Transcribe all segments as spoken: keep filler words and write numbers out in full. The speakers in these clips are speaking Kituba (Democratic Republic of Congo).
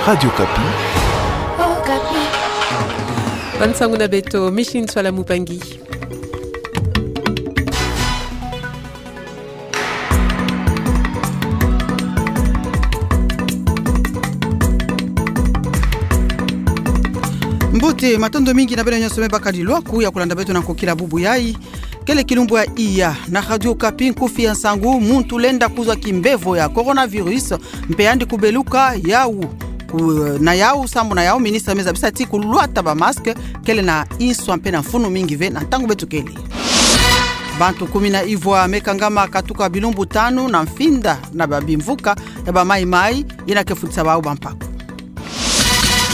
Radio Okapi. Okapi. Bansangu na beto, Micheline Nswala Mupangi. Mbote, matondo mingi na beno nyonso me bakadi lwaku ya kulanda beto na nkokila bubu yayi. Kele kilumbu ya iya, na Radio Okapi nkufi ya nsangu, muntu lenda kuzwa kimbevo ya coronavirus, mpe yandi kubeluka yau. Ku-, na yau, sambu na yau, ministre me zabisa ti kulwata ba masque, kele na nswa mpe na mfunu mingi ve na ntangu beto kele. Bantu kumi na ivwa me kangama katuka bilumbu tanu na mfinda na ba bimvuka ya ba mayi-mayi, ina ke futisa bau ba mpaku.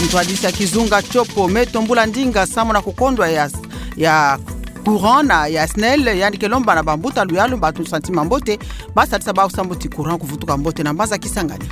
Ntwadisi ya kizunga Tiopo me tombula ndinga sambu na kukondwa ya, ya courant na ya SNEL, yandi ke lomba na bambuta luyalu, bantu santima mbote, ba sadisa bau sambu ti courant kuvutuka mbote na mbanza Kisangani.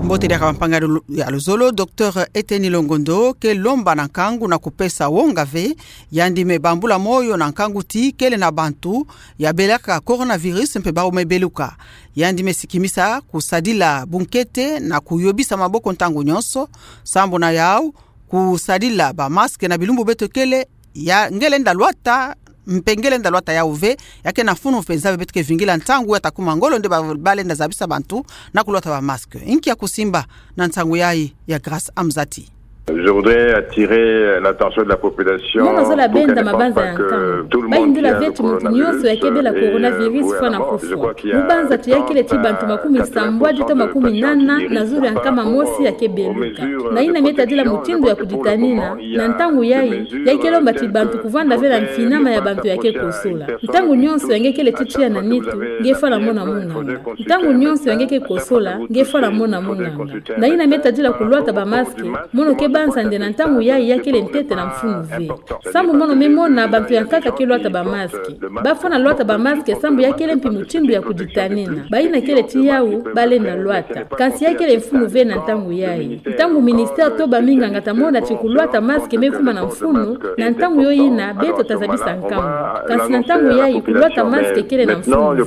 Mbote diaka bampanga ya lu-, ya luzolo, Docteur Eteni Longondo ke lomba na nkangu na kupesa wonga ve, yandi me bambula moyo na nkangu ti kele na bantu ya belaka coronavirus mpe bau me beluka. Yandi me sikimisa kusadila bunkete na kuyobisa maboko ntangu nyonso, sambu na yau, kusadila ba masque na bilumbu beto kele, ya nge lenda lwata, mpe nge lenda lwata yau ve, ya ke na mfunu mpenza ve beto ke vingila ntangu ya ta kuma ngolo nde ba, ba lenda zabisa bantu na kulwata ba masque. Inki ya kusimba na nsangu yayi ya Grace Amzati. Je voudrais attirer l'attention de la population. Mono zola benda mabanza ya nkangu. Bayindula ve ti muntu nyonso ya ke bela coronavirus fwa na kufwa. Mu banza ti ya kele ti bantu makumi sambwadi to makumi nana na zulu ya nkama mosi ya ke beluka. Na ina me tadila mutindu ya kuditanina, na ntangu yayi, ya ke lomba ti bantu kuvwanda ve na mfinama ya bantu ya ke kosola. Ntangu nyonso ya nge kele ti tiya na nitu, nge fwana mona munganga. Ntangu nyonso ya nge ke kosola, nge fwana mona munganga. Na ina me tadila kulwata ba masque, mono ke banza nde na ntangu yayi ya kele ntete na mfunu ve. Sambu mono me mona bantu ya nkaka ke lwata ba masque. Ba fwana lwata ba masque sambu ya kele mpi mutindu ya kuditanina. Bayina kele ti yau, ba lenda lwata. Kansi ya kele mfunu ve na ntangu yayi. Ntangu ministère to ba minganga ta mona ti kulwata masque me kuma na mfunu, na ntangu yo ina, beto ta zabisa nkangu. Kansi na ntangu yayi, kulwata masque kele na mfunu ve.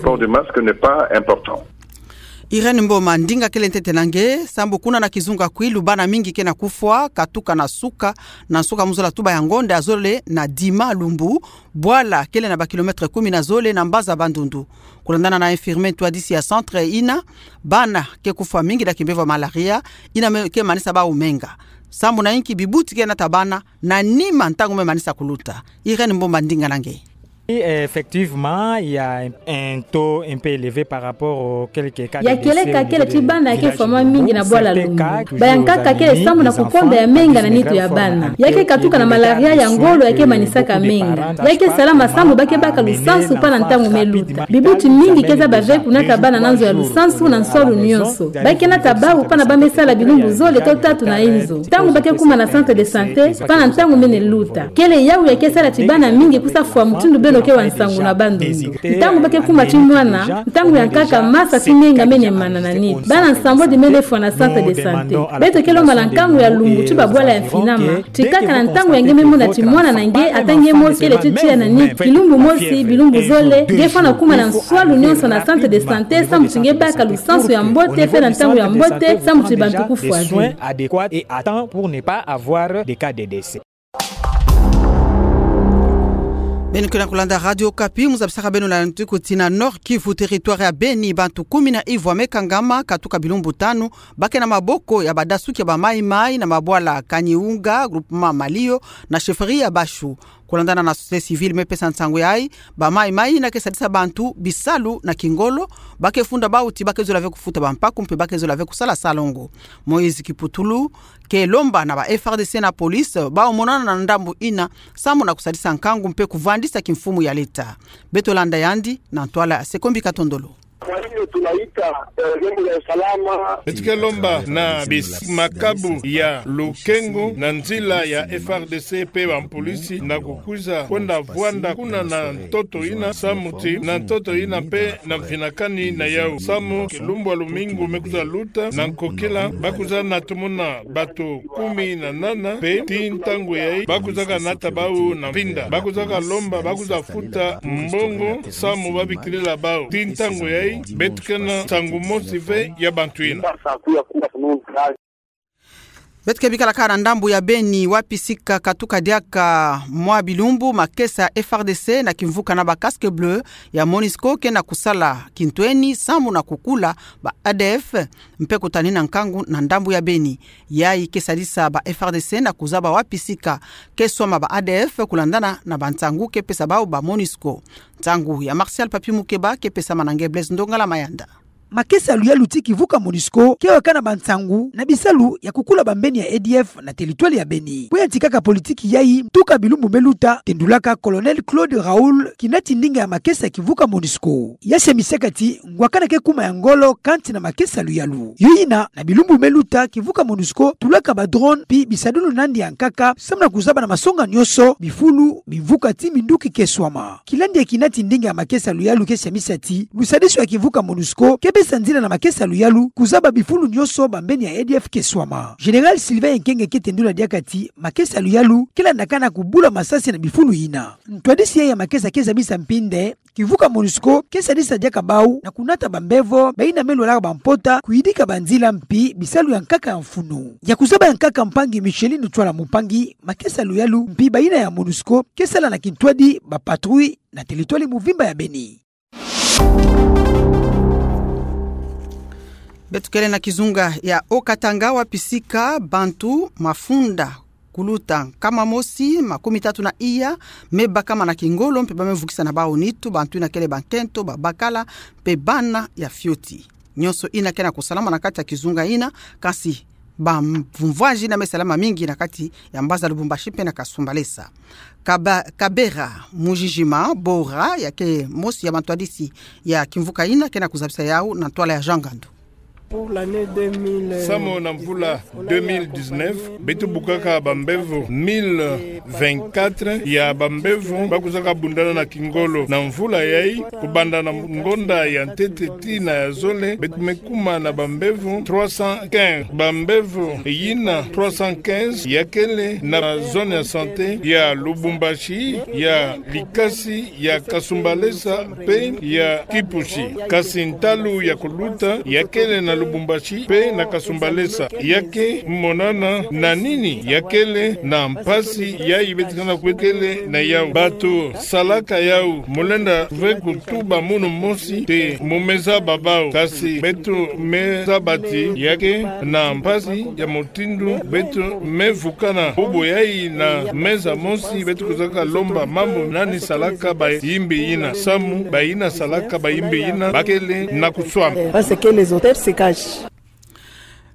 Irène Mboma, ndinga kele ntete na nge, sambu kuna na kizunga Kwilu bana mingi ke na kufwa, katuka na suka, na suka mu zola tuba ya ngonda ya zole na dima lumbu, bwala kele na ba kilomètre kumi na zole na mbanza Bandundu. Kulandana na infirmier ntwadisi ya centre ina, bana ke kufwa mingi na kimbevo ya malaria, ina me ke manisa bau menga. Sambu na inki bibuti ke nata bana, na nima ntangu me manisa kuluta. Irène Mboma, ndinga na nge. Oui, effectivement, il y a un, un taux un peu élevé par rapport aux quelques cas de décès au niveau des villages ruraux. Ya kele ka kele ti bana ya ke fwa mwa mingi na bwala lumbu. Ba ya nkaka kele sambu na kukonda ya menga na nitu ya bana. Ya ke katuka na malaria ya ngolo ya ke manisaka menga. Ya ke salama sambu ba ke baka lusansu mpe na ntangu me luta. Bibuti mingi ke zaba ve kunata bana na nzo ya lusansu na nswalu nyonso. Ba ke nata bau mpe na ba me sala bilumbu zole to tatu na inzo. Ntangu ba ke kuma na centre de santé, mpe na ntangu mene luta. Kele yau ya ke sala ti bana mingi kusa fwa mutindu beno ke wa nsangu na Bandundu. Ntangu ba ke kuma ti mwana, ntangu ya nkaka masa ti menga mene mana na nitu. Bana nsambwadi mene fwa na centre de santé. Beto ke lomba na nkangu ya lumbu ti ba bwala ya mfinama. Ti kaka na ntangu ya nge me mona ti mwana na nge, ata nge mosi kele ti tiya na nitu. Kilumbu mosi, bilumbu zole, nge fwana kuma na nswalu nyonso na centre de santé, sambu ti nge baka lusansu ya mbote, mpe na ntangu ya mbote, sambu ti bantu kufwa ve. Adéquat et à temps pour ne pas avoir des cas de décès. Beno ke na kulanda Radio Okapi, mu zabisaka beno na ntiku ti na Nord-Kivu, territoire ya Beni, bantu kumi na ivwa me kangama katuka bilumbu tanu, ba ke na maboko ya badasuki ya ba maï-maï na mabwala Kanyiunga, groupement Malio, na chefferie ya Bashu. Kulandana na société civile me pesa nsangu yayi, ba maï-maï ina ke sadisa bantu bisalu na kingolo, ba ke funda bau ti ba ke zola ve kufuta ba mpaku mpe ba ke zola ve kusala salongo. Moïse Kiputulu ke lomba na ba F R D C na police, bau monana na ndambu ina, sambu na kusadisa nkangu mpe kuvandisa kimfumu ya leta. Beto landa yandi na ntwala ya Sekombi Katondolo. Kwa hiyo tunaita, eh, vyombo vya usalama. Beto ke lomba na bis-, makabu ya lukengo na nzila ya F R D C mpe ba mpolisi na kukwiza kwenda vwanda kuna na ntoto ina, samu ti na ntoto ina mpe na mfinakani na yau. Samu kilumbu ya lumingu me kwiza luta, na nkokila ba kwiza na tumuna bato kumi na nana, mpe ti ntangu yayi ba kwizaka nata bau na mpinda. Ba kwizaka lomba, ba kwiza futa mbongo, samu ba bikilila bau. Ti ntangu yayi, beto Ke na nsangu mosi ve ya bantu yina. Beto ke bikala kaka na ndambu ya Beni, wapi sika katuka diaka mwa bilumbu makesa ya F R D C na kimvuka na ba casques bleus ya Monusco ke na kusala kintwenia samu na kukula ba A D F, mpe kutanina nkangu na ndambu ya Beni. Yayi ke sadisa ba F R D C na kuzaba wapi sika ke swama ba A D F kulandana na bansangu ke pesa bau ba Monusco. Nsangu ya Martial Papi Mukeba ke pesama na nge Blaise Ndongala Mayanda. Makesa ya luyalu ti kivuka Monusco ke weka na bansangu na bisalu ya kukula bambeni ya A D F na territoire ya Beni. Bwe yantikaka politiki yayi, ntuka bilumbu me luta, tendulaka Colonel Claude Raoul, kinati ndinga ya makesa ya kivuka Monusco. Ya siamisaka ti ngwakana ke kuma ya ngolo kanti na makesa ya luyalu. Yo yina, na bilumbu me luta, kivuka Monusco tulaka ba drone mpi bisadulu nandi ya nkaka samu na kuzaba na masonga nionso bifulu, bimvuka ti minduki ke swama. Kilandi ya kinati ndinga ya makesa ya luyalu ke siamisa ti lusadisu ya kivuka Monusco ke besa nzila na makesa ya luyalu kuzaba bifulu nionso bambeni ya A D F ke swama. Général Sylvain Ekenge ke tendula diaka ti makesa ya luyalu ke landakana kubula masasi na bifulu yina. Ntwadisi yayi ya makesa ke zabisa mpi nde kivuka Monusco ke sadisa diaka bau na kunata bambevo bayina me lwalaka bampota, kuyidika banzila mpi bisalu ya nkaka ya mfunu. Ya kuzaba ya nkaka, mpangi Micheline Twala Mumpangi, makesa ya luyalu mpi bayina ya Monusco ke sala na kintwadi ba patrouille na territoire muvimba ya Beni. Beto kele na kizunga ya Haut-Katanga, wapi sika bantu mafunda kuluta nkama mosi makumi tatu na iya me bakama na kingolo mpe ba me vukisa na bau nitu bantu yina kele bankento, babakala mpe bana ya fioti. Nionso yina ke na kusalama na kati ya kizunga yina, kasi bamvumvwaji yina me salama mingi na kati ya mbanza Lubumbashi mpe na Kasumbalesa. Kaba-, Kabera Mujijima Bora, ya ke mosi ya bantwadisi ya kimvuka yina, ke na kuzabisa yau na ntwala ya Jean Ngandu. Samu na mvula deux mille dix-neuf, beto bukaka bambevo mille vingt-quatre ya bambevo ba kuzaka bundana na kingolo. Na mvula yayi, kubanda na ngonda ya ntete tii na ya zole, beto me kuma na bambevo trois cent quinze. Bambevo yina trois cent quinze ya kele na zone ya santé ya Lubumbashi, ya Likasi, ya Kasumbalesa mpe ya Kipushi. Kasi ntalu ya kuluta ya kele na Lubumbashi mpe na Kasumbalesa. Ya ke monana na nini? Ya kele na mpasi yayi beto ke na kukele na yau. Bato salaka yau, mu lenda ve kutuba munu mosi te mu me zaba bau. Kasi beto me zaba ti ya ke na mpasi ya mutindu beto me vukana. Bubu yayi na meza mosi beto kuzaka lomba mambu nani salaka bayimbi yina, samu bayina salaka bayimbi yina ba kele na kuswama. Parce que les auteurs se cachent.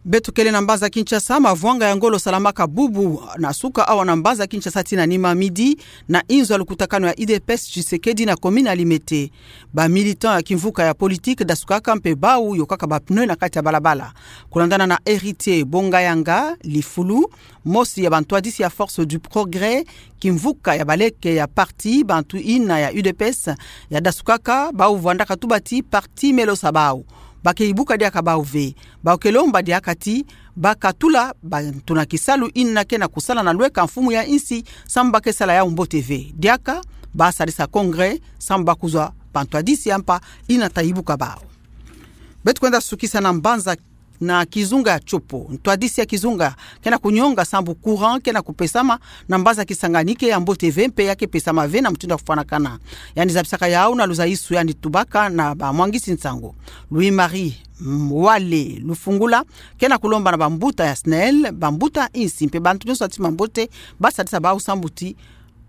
Beto kele na mbanza Kinshasa, mavwanga ya ngolo salamaka bubu na suka awa na mbanza Kinshasa tii na nima midi, na inzo ya lukutakanu ya U D P S Tshisekedi na commune ya Limete. Ba militants ya kimvuka ya politique dasukaka mpe bau yokaka ba pneus na kati ya balabala. Kulandana na Héritier Bongayanga, lifulu mosi ya bantwadisi ya Force du Progrès, kimvuka ya baleke ya parti bantu yina ya U D P S, ya dasukaka, bau vwandaka tuba ti parti me losa bau. Ba ke ibuka diaka bau ve. Bau ke lomba diaka ti ba katula bantu na kisalu yina ke na kusala na lweka mfumu ya insi, samu ba ke sala yau mbote ve. Diaka ba sadisa congrès samu ba kuzwa bantwadisi ya mpa yina ta ibuka bau. Beto kwenda sukisa na mbanza na kizunga ya Tshopo. Ntwadisi ya kizunga ke na kunyonga sambu courant ke na kupesama na mbanza Kisangani ke ya mbote ve mpe ya ke pesama ve na mutindu ya kufwanakana. Yandi zabisaka yau na luzaisu yandi tubaka na bamwangisi nsangu. Louis-Marie Mwale Lufungula ke na kulomba na bambuta ya SNEL, bambuta insi mpe bantu nionso ya ntima mbote ba sadisa bau sambu ti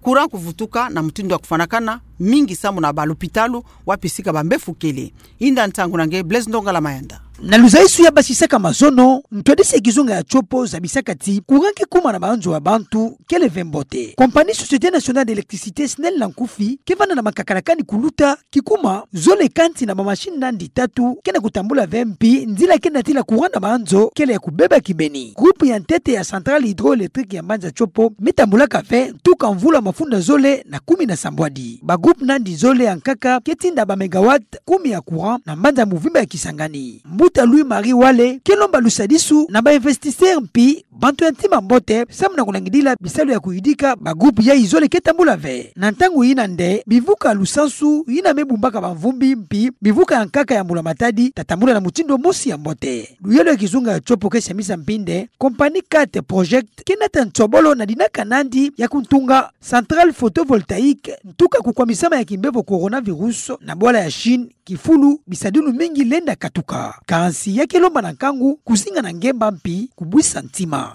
courant kuvutuka na mutindu ya kufwanakana, mingi samu na balupitalu wapi sika bambefu kele. Inda nsangu na nge Blaise Ndongala Mayanda. Na luzaisu ya basisaka mazono, ntwadisi ya kizunga ya Tshopo zabisaka ti courant ke kuma na banzo ya bantu kele ve mbote. Compagnie Société Nationale d'Électricité, SNEL na nkufi, ke vanda na makakalakani kuluta kikuma zole kansi na bamachine nandi tatu ke na kutambula ve, mpi nzila ke natila courant na banzo kele ya kubeba kibeni. Groupe ya ntete ya centrale hydroélectrique ya mbanza Tshopo me tambulaka ve ntuka mvula mafunda zole na kumi na sambwadi. Ba groupe nandi zole ya nkaka ke tinda ba mégawatts kumi ya courant na mbanza muvimba ya Kisangani. Mbuta Tata Louis Marie Wale ke lomba lusadisu na ba investisseurs mpi bantu ya ntima mbote samu na kulangidila bisalu ya kuyidika ba groupe yayi zole ke tambula ve. Na ntangu yina nde bivuka lusansu yina me bumbaka bamvumbi mpi bivuka ya nkaka ya mbula matadi ta tambula na mutindu mosi ya mbote. Luyalu ya kizunga ya tiopo ke siamisa mpi nde compagnie Cat Project ke nata nsobolo na dinaka nandi ya kuntunga centrale photovoltaïque ntuka kukwamisama ya kimbevo coronavirus na bwala ya Chine, kifulu bisadulu mingi lenda katuka. Kansi ya ke lomba na nkangu kuzinga na ngemba mpi kubwisa ntima.